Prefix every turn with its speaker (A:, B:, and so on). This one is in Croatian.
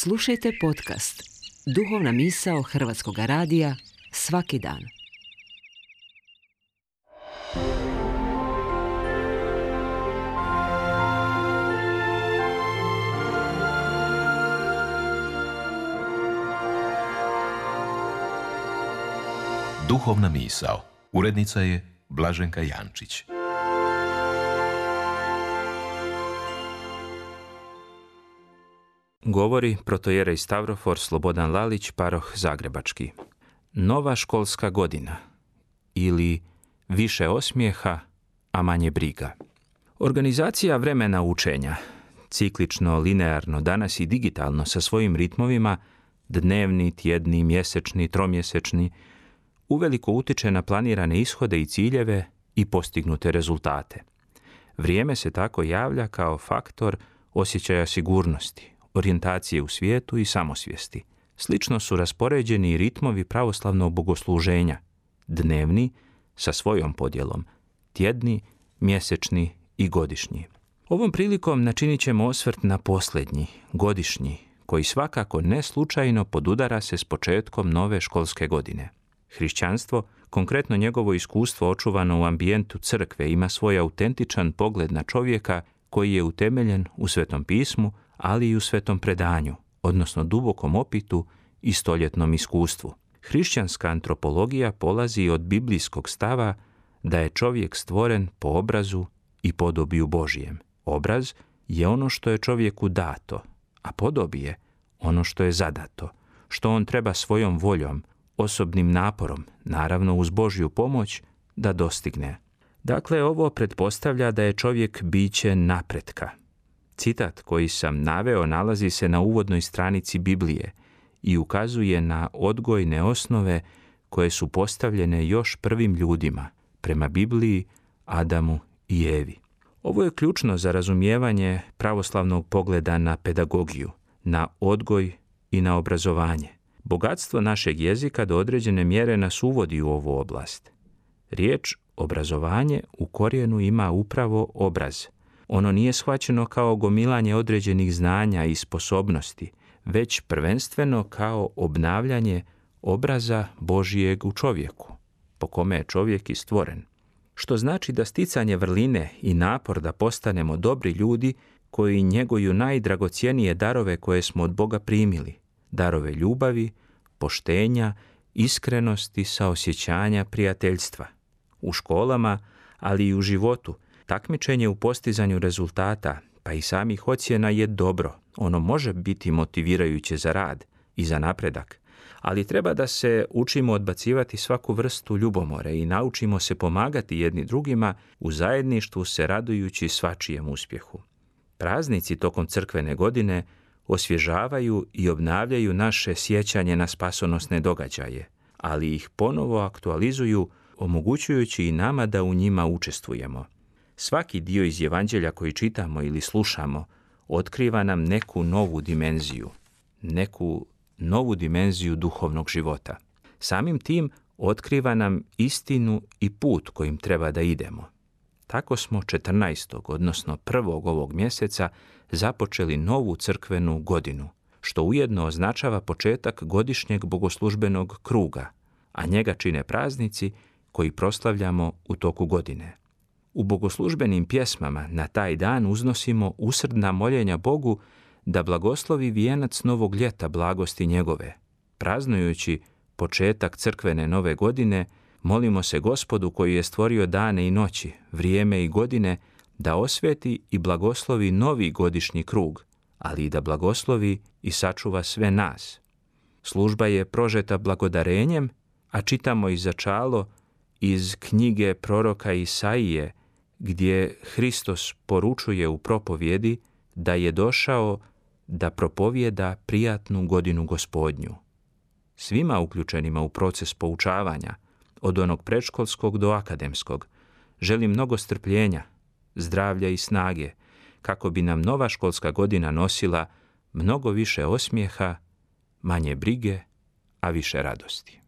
A: Slušajte podcast Duhovna misao Hrvatskog radija svaki dan.
B: Duhovna misao. Urednica je Blaženka Jančić.
C: Govori protojerej Stavrofor Slobodan Lalić, paroh Zagrebački. Nova školska godina ili više osmijeha, a manje briga. Organizacija vremena učenja, ciklično, linearno, danas i digitalno sa svojim ritmovima, dnevni, tjedni, mjesečni, tromjesečni, uveliko utiče na planirane ishode i ciljeve i postignute rezultate. Vrijeme se tako javlja kao faktor osjećaja sigurnosti, orijentacije u svijetu i samosvijesti. Slično su raspoređeni i ritmovi pravoslavnog bogosluženja, dnevni sa svojom podjelom, tjedni, mjesečni i godišnji. Ovom prilikom načinit ćemo osvrt na posljednji, godišnji, koji svakako ne slučajno podudara se s početkom nove školske godine. Hrišćanstvo, konkretno njegovo iskustvo očuvano u ambijentu crkve, ima svoj autentičan pogled na čovjeka koji je utemeljen u Svetom pismu, ali i u svetom predanju, odnosno dubokom opitu i stoljetnom iskustvu. Hrišćanska antropologija polazi od biblijskog stava da je čovjek stvoren po obrazu i podobiju Božijem. Obraz je ono što je čovjeku dato, a podobije ono što je zadato, što on treba svojom voljom, osobnim naporom, naravno uz Božju pomoć, da dostigne. Dakle, ovo pretpostavlja da je čovjek biće napretka. Citat koji sam naveo nalazi se na uvodnoj stranici Biblije i ukazuje na odgojne osnove koje su postavljene još prvim ljudima, prema Bibliji, Adamu i Evi. Ovo je ključno za razumijevanje pravoslavnog pogleda na pedagogiju, na odgoj i na obrazovanje. Bogatstvo našeg jezika do određene mjere nas uvodi u ovu oblast. Riječ obrazovanje u korijenu ima upravo obraz. Ono nije shvaćeno kao gomilanje određenih znanja i sposobnosti, već prvenstveno kao obnavljanje obraza Božijeg u čovjeku, po kome je čovjek i stvoren. Što znači da sticanje vrline i napor da postanemo dobri ljudi koji njeguju najdragocjenije darove koje smo od Boga primili, darove ljubavi, poštenja, iskrenosti, saosjećanja, prijateljstva. U školama, ali i u životu, takmičenje u postizanju rezultata, pa i samih ocjena je dobro. Ono može biti motivirajuće za rad i za napredak, ali treba da se učimo odbacivati svaku vrstu ljubomore i naučimo se pomagati jedni drugima u zajedništvu se radujući svačijem uspjehu. Praznici tokom crkvene godine osvježavaju i obnavljaju naše sjećanje na spasonosne događaje, ali ih ponovo aktualizuju, omogućujući i nama da u njima učestvujemo. Svaki dio iz Evanđelja koji čitamo ili slušamo otkriva nam neku novu dimenziju duhovnog života. Samim tim otkriva nam istinu i put kojim treba da idemo. Tako smo 14. odnosno 1. ovog mjeseca započeli novu crkvenu godinu, što ujedno označava početak godišnjeg bogoslužbenog kruga, a njega čine praznici koji proslavljamo u toku godine. U bogoslužbenim pjesmama na taj dan uznosimo usrdna moljenja Bogu da blagoslovi vijenac novog ljeta blagosti njegove. Praznujući početak crkvene nove godine, molimo se Gospodu koji je stvorio dane i noći, vrijeme i godine, da osveti i blagoslovi novi godišnji krug, ali i da blagoslovi i sačuva sve nas. Služba je prožeta blagodarenjem, a čitamo i začalo iz knjige proroka Isaije, gdje Hristos poručuje u propovjedi da je došao da propovjeda prijatnu godinu Gospodnju. Svima uključenima u proces poučavanja, od onog predškolskog do akademskog, želim mnogo strpljenja, zdravlja i snage, kako bi nam nova školska godina nosila mnogo više osmijeha, manje brige, a više radosti.